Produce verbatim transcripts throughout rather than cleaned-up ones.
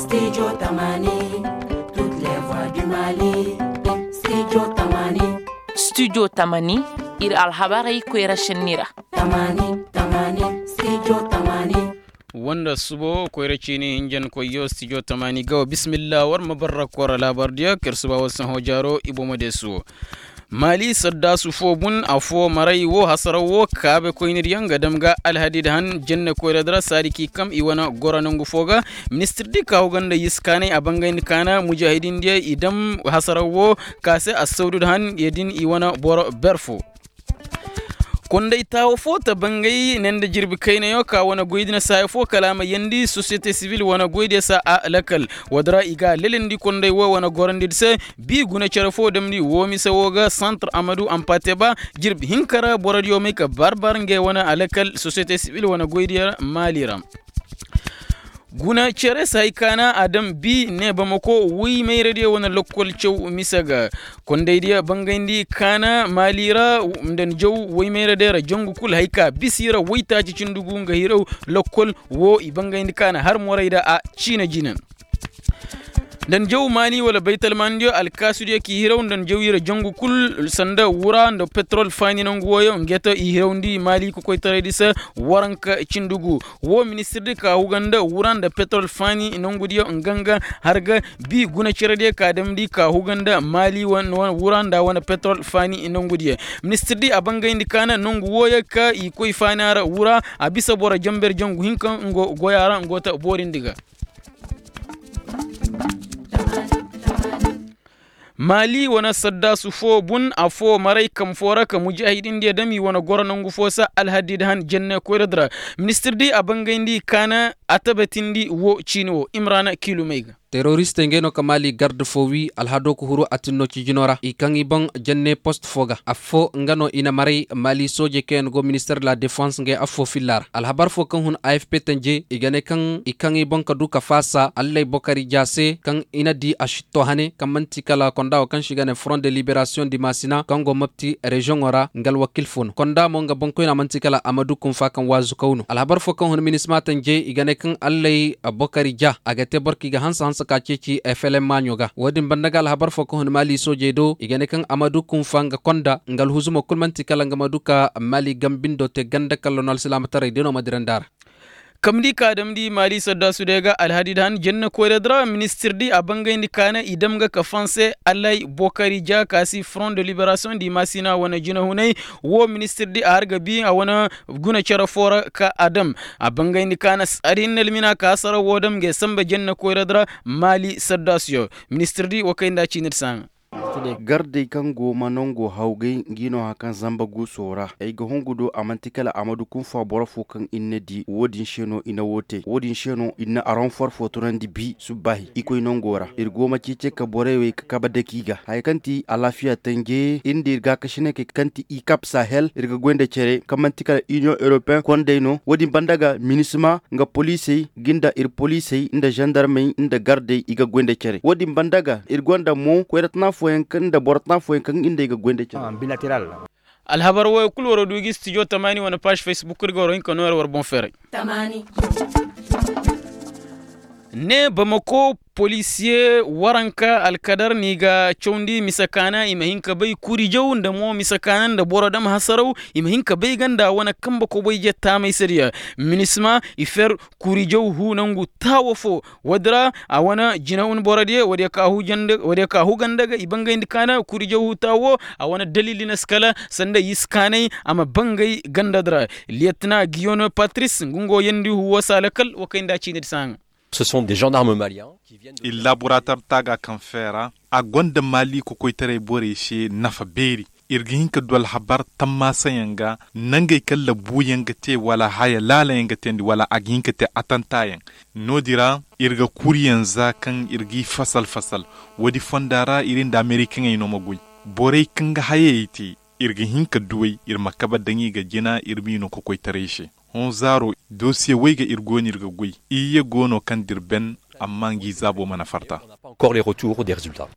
Studio tamani, toutes les voix du mali. Studio tamani. Studio tamani, ir alhabarey koyra šenni ra. Tamani, tamani, studio tamani. Wanda subo koyra ciini hinjankoyyo studio tamani ga wa bismillah war ma barra kora laabar diya kar suba war saho jaaro i bomo de suwo. Maali saddaasu foo bun affoo maray woo hasaraw woo kaabekoynir yaŋ ga dam ga alhadid han jenne koyra di ra saadi k'i kam i wane goro nongu foo ga. Ministir di ka huga nda yisi kaanay a bangayndi kaana mujaahidin diya i dam hasaraw woo ka se assawdud han ya din i wane boro ber foo. Konday taawo foo ta bangay ne nda jirbi kaynayo ka wane goydi na saaya foo kala a ma yeendi sosiyete sibil wane goydiyo se a lakal. Woodi ra i ga a lelandi konday woo wane gorondidi se. Bii guna cere foo damndi woo mise woo ga santar amadu ampateba. Jirbi hinka ra borodiyo may ka bar-bar ngey wane alakal sosiyete sibil wane goydiyo ra maali ra. Guna cere se hay kaana a daŋ bii ne bamako woy mayradiyo wane lokkol caw mise ga. Kondaydiyo bangayndi kaana maali ra nda ni jaw woy mayradiyo ra jangu kul hay ka bisi ra woytaaci cindi gu nga hiraw lokkol woo i bangayndi kaana har morayda a ciina jina. Nda ni jaw maani wala baytalmaanidiyo alkaasudiyo k'i hiraw nda ni jaw ira jangu kul sanda wura nda petrol faani nangu wooyo nge to i hirawndi maali kokoytaraydi se. Waranka cindi gu woo ministirdi ka huga nda wura nda petrol faani nangudiyo nga nga har ga bii guna cerediyo ka damndi ka huga nda maali wura nda wane petrol faani nangudiyo. Ministirdi a bangayndi kaana nangu wooyo ka i koy faani a ra wura a bisa boro jamber jangu hinka ngo goyo a ra ngo ta boorindi ga. Maali wane saddaasu foo bun affoo maray kam foo ra ka mujaahidindiyo dam i wane goro nangu foo se alhadid han jenne koyra di ra. Ministirdi a bangayndi kaana a tabatindi woo ciini woo imrana kiilumey ga. Teroristey ngey no ka maali garde foo wii alhadoo ka huru atinno cijinoo ra i kaŋ i boŋ jenne post foo ga affoo nga no i na maray maali soojey kaŋ yaŋ go minister de la defense ngey affoo filla ra alhabar foo kaŋ hun afp tanje i ga ne kaŋ i kaŋ i boŋ ka du ka faasa allay bokari ja se kaŋ i na di a sitto hane kaŋ man'ti kala konda woo kaŋ se i ga ne front de liberasiyoŋ di maasina kaŋ go mapti reziyoŋo ra nga alwakil foo no konda mo nga boŋkoyna man'ti kala amadu kunfa kaŋ waazu kaw no alhabar foo kaŋ hun minisma tanje i ga ne kaŋ allay bokari ja a ga te boro kaŋ i ga hanse hanse ka ceeci flm maaɲo ga woo din banda ga alhabar foo kaŋ hun maali soojey do i ga ne kaŋ amadu kunfa nga konda nga alhuzumo kul man'ti kala nga ma du ka maali gambindo te ganda kalla no alsilaamataray de no ma dirandi a ra. Kamndi ka damndi maali saddaasu day ga alhadid han jenne koyra di ra ministir di a bangayndi kaana i dam ga ka fanse alay bokari ja ka si front de liberasiyoŋ di maasina wane jinahunay. Woo ministir di a har ga bii a wane guna cere foo ra ka a dam a bangayndi kaana saadi hinne almina ka hasara woo dam ngey samba jenne koyra di ra. Maali saddaasuyo ministir di woo kay nda ciini di saaŋa. Gardey kaŋ go ma nongo hawgay ngi no hakaŋ zamba guuso ra ay ga hungu do a man'ti kala a ma du kunfa boro foo kaŋ ir na di woo din se no i na woo te woo din se no ir na aronfor foo tunandi bi subbaahi i koy nongo ra ir go ma ceecey ka borey wey ka kabe daki ga haya kaŋ ti alaafiya tanje ir nda ir gaakasinekey kaŋ ti i kap sahel ir ga goy nda cere kaŋ man'ti kala iniyoŋ europeyen kondey no woo din banda ga minisma nga poliisey ngi nda ir poliisey nda zandarmey nda gardey i ga goy nda cere woo din banda ga ir gonda mo koyra tana fooyaŋ kaŋ nda boro tana fooyaŋ kaŋ ngi nda i ga goy nda cere. Alhabar wooyo kul war'o du gi studio tamaani wane paaž facebook ir ga war'o hin ka noo yar war boŋ feeray. Ne bamako polisiye waranka alkadar no i ga cawndi mise kaana i ma hin ka bay kurijaw nda mo mise kaana nda boro dam hasaraw i ma hin ka bay ga nda wane kambe koboyje taamay se diya. Minisma i fer kurijaw huu nangu taawo foo woodi ra a wane jinawun borodiyo woodiyo ka huu ganda ga i bangayndi kaana kurijaw huu taawo a wane dalili na si kala sanda yisi kaanay a ma bangay ganda di ra. Liyetina giyono patris nga ngo yeendi huu woo se a lakal woo kay nda ciini di saaŋa. Ce sont des gendarmes maliens. Illaburatar taaga kaŋ feera a gonda maali kokoytaray borey se nafa beeri. Ir ga hin ka du alhabar tammaasayaŋ ga nangey kaŋ labuuyaŋ ga te wala haya laalayaŋ ga teendi wala a ga hin ka te atantaayaŋ. No-din ra ir ga kuriyaŋ za kaŋ ir g'i fasal-fasal. Woodi fonda ra ir nda amerikaŋey no ma goy. Borey kaŋ ga hayey te ir ga hin ka duw'ey ir ma kabe daŋ i ga jina ir m'i no kokoytaray se. Hõ zaaro dosiye wey ga ir go no ir ga goy iyye go no kaŋ dir ben. Amma ngi zaabo mana farta. Encore les retours des résultats.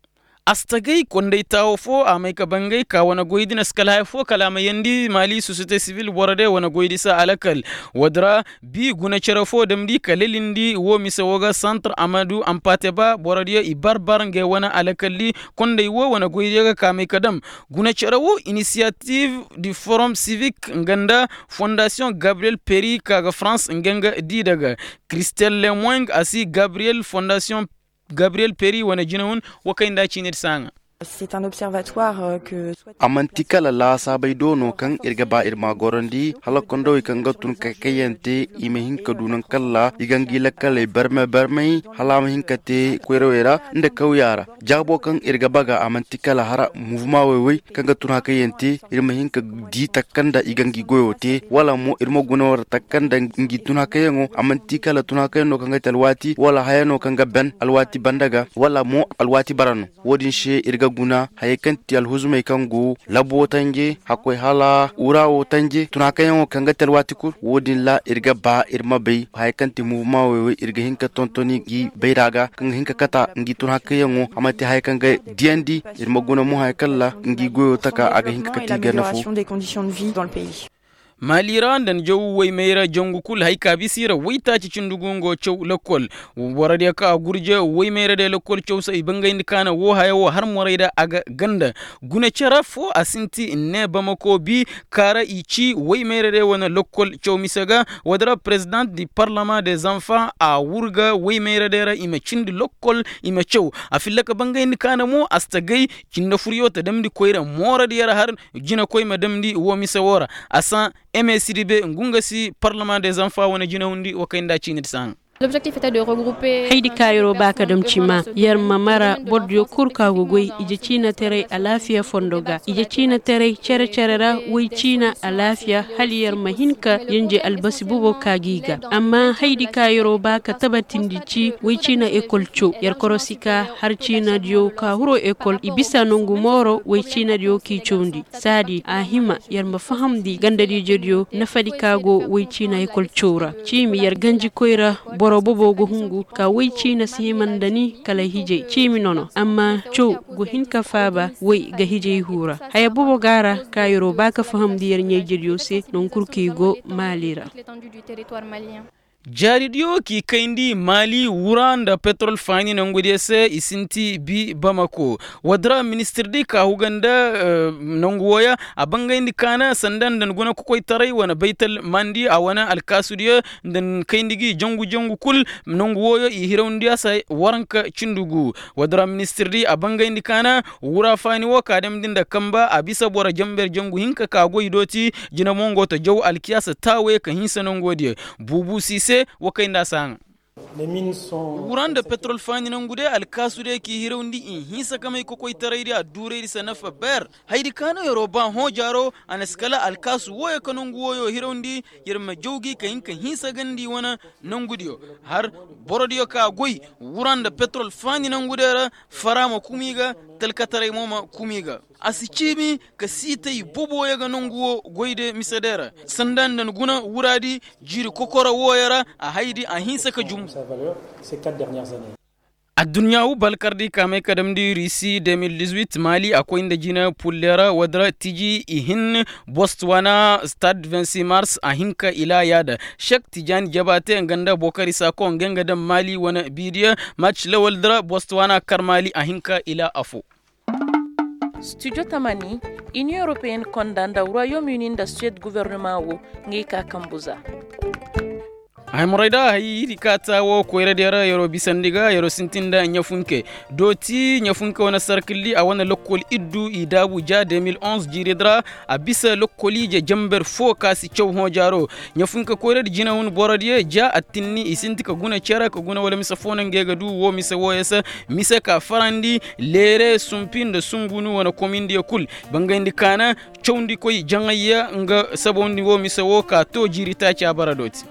Astagay kondey taawo fo a may ka bangay ka wane goydi na si kala haya fo kala a ma yeendi maali sosiyete sivil boro de wane goydi se alakal. Woodi ra bi guna cere fo damndi ka lelindi wo mise wo ga santre amadu ampate ba borodiyo i bar bar ngey wane alakalli. Kondey wo wane goydiyo ga ka may ka dam guna cere wo inisiyativ di forom sivik nga nda fondasiyoŋ gabriyel peri ka ga farans nga nga di daga. Kristel lemoing a si gabriyel fondasiyoŋ gabriyel peri wane jinahun. Wo kay nda ciinir saaŋa. A man'ti kala laasaabey do no kaŋ ir ga ba ir m'a gorandi hala kondowey kaŋ ga tun ka kayante i ma hin ka du naŋ kalla i ga ngi lakkaley barmay barmay hala a ma hin ka te koyrawey ra nda kawya ra. Jaabo kaŋ ir ga baga a man'ti kala hara muvuma woy-woy kaŋ ga tun hakayante ir ma hin ka di takka nda i ga ngi goyo te wala mo ir ma guna war takka nda ngi tun hakayaŋo a man'ti kala tun hakayaŋ no kaŋ ga te alwaati wala haya no kaŋ ga ben alwaati banda ga wala mo alwaati bara no. Wo-din se ir ga guna hayey kaŋ ti alhuzumey kaŋ go labo tanje hakkoy hala wura wo tanje tun hakayaŋo kaŋ ga te alwaati kul wo-din ra ir ga ba ir ma bay hayey kaŋ ti muvuma woy-woy ir ga hin ka tontoni ngi bayra ga kaŋ ga hin ka kata ngi tun hakayaŋo a man'ti hayey kaŋ ga diyandi. Ir ma guna mo hayey kaŋ ra ngi goyo taka a ga hin ka kate i ganda fo. Maali ra nda ni jaw woy mayra jangu kul hay ka bisa i ra woytaaci cindi gu nga wo caw lakkol. Boro diyo kaŋ a gurje woy mayra day lakkol caw se i bangayndi kaana wo haya wo har morey da a ga ganda. Guna cere fo a sinti ne bamako bi kaara i ci woy mayra day wane lakkol caw mise ga. Woodi ra perezidant di parlama de zanfa a wurga woy mayra day ra i ma cindi lakkol i ma caw. A filla ka bangayndi kaana mo a si ta gay cinde furyo ta damndi koyra mooradiyo ra har jinakoy ma damndi wo mise wo ra. A san eme sidibe ngu nga si parlement des enfants wane jinahundi wo kay nda ciinidi saŋ. Haydi ka yer'o ba ka dam cima yer ma mara bordiyo kul ka go goy ije ciinateray alaafiya fondo ga ije ciinateray cere-cere ra woy ciina alaafiya hala yer ma hin ka yenje albasi bobo ka g'i ga. Amma haydi ka yer'o ba ka tabatindi ci woy ciina ekol caw yer korosi ka har ciinadiyo ka huro ekol i bisa nongu mooro woy ciinadiyo k'i cawndi. Saadi a hima yer ma fahamndi gandadiijediyo nafadi ka go woy ciina ekol caw ra. Ciimi yer ganjikoy ra boro bobo ga hungu ka woy ciina si hima nda ni kala hijay ciimi nono amma caw go hin ka faaba woy ga hijay huu ra. Haya bobo ga a ra ka yer'o ba ka fahamndi yer ɲayjediyo se noŋ kul kaŋ i go maali ra. Jaaridiyo k'i kayndi maali wura nda petrol faani nangudiyo se i sinti bi bamako. Woodi ra ministir di ka huga nda nangu wooyo a bangayndi kaana sanda nda ni guna kokoytaray wane baytal mandi a wane alkaasudiyo nda ni kayndi gi jangu jangu kul. Nangu wooyo i hirawndi a se waranka cindi gu. Woodi ra ministir di a bangayndi kaana wura faani woo ka damndi nda kamba a bisa boro jamber jangu hinka ka goy dooti. Jina mo ngo ta jaw alkiyaasa taawey ka hinsa nangoo diyo. Buubu si se woo kay nda a si haŋa. Wura nda petrol faani nangu de alkaasu de k'i hirawndi i hinsa ka may kokoytaray di adduuray di se nafa ber. Haydi ka no yer'o ba hõ jaaro a na si kala alkaasu wooyo ka nangu wooyo hirawndi. Yer ma jaw gi ka hin ka hinsa gandi wane nangudiyo har borodiyo ka goy wura nda petrol faani nangu de ra. Fara ma kuma i ga talkataray mo ma kuma i ga. A si ciimi ka siitay boboyo ga nangu wo goy de mise de ra sanda nda ni guna wuraadi. Jiiri kokoro wooyo ra a haydi a hinsa ka jum. Adduɲɲa woo balkardi ka may ka damndi risi de mil dix-huit maali a koy nda jina pulle ra woodi ra tiji i hin bostwana stade vingt-six mars a hin ka ila yaada. Sek tijaani jabaate nga nda bokari saako nga nga dam maali wane biidiyo. Mac lawal di ra bostwana kar maali a hin ka ila afo. Studio tamani, inion europeen konda nda royaume uni nda suwed guvernema wo ngey ka kambu za. Hay moray da hay hiri ka ta wo koyradiyo ra yer'o bisandi ga yer'o sintin nda ɲafunke. Dooti ɲafunke wane sarkilli a wane lokkol iddu i daabu ja deux mille onze jiiridi ra. A bisa lokkoliije jamber fo ka si caw hõ jaaro. Ɲafunke koyradi jinahun borodiyo ja attinni i sinti ka guna cere ka guna wala mise fo no ngey ga du woo mise wooyo se. Mise ka farandi leere sumpi nda sungunu wane komindiyo kul. Bangayndi kaana cawndikoy jaŋayya nga sabawndi woo mise woo ka too jiiri taaci a bara dooti.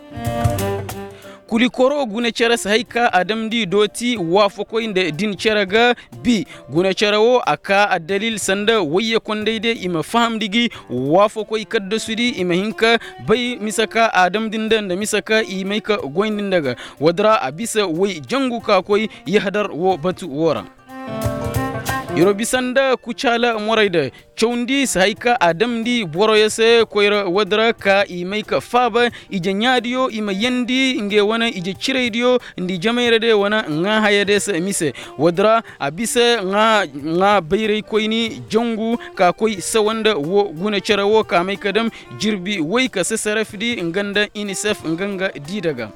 Kulikoro guna cere si hay ka a damndi dooti waafakoy nda din cere ga. Bi guna cere woo a kaa addalil sanda wayye kondey de i ma fahamndi gi waafakoy kaddasudi i ma hin ka bay mise ka a damndi nda nda mise ka i may ka goyndi nda ga. Woodi ra a bisa way jangu ka koy yahadar woo batu woo ra. Yer'o bisa nda kucaala morey da cawndi si hay ka a damndi boroyo se koyra woodi ra ka i may ka faaba ije ɲaadiyo i ma yeendi ngey wane ije ciraydiyo nda i jamayra day wane ŋaa hayey day se mise. Woodi ra a bisa ŋaa bayraykoyni jangu ka koy sawa nda woo guna cere woo ka may ka dam jirbi woy ka sesarefdi nga nda inisef nga nga diida ga.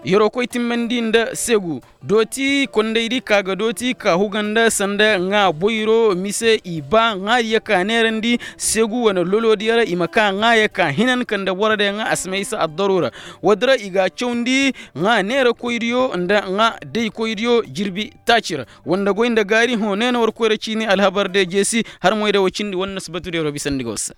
Yer'o koy timmandi nda seegu dooti kondaydi ka ga dooti ka huga nda sanda ŋaa boyro mise i ba ŋaadiyo ka neerandi seegu wane loloodiyo ra i ma ka ŋaaya ka hinan ka nda borodiyo ŋaa a si may i se addaruura. Woodi ra i ga a cawndi ŋaa neerakoydiyo nda ŋaa daykoydiyo jirbi taaci ra. War nda goy nda gaari hõ nee na war koyra ciini alhabar de jeesi har moy da war cindi war na si batu de war bisandi ga war se.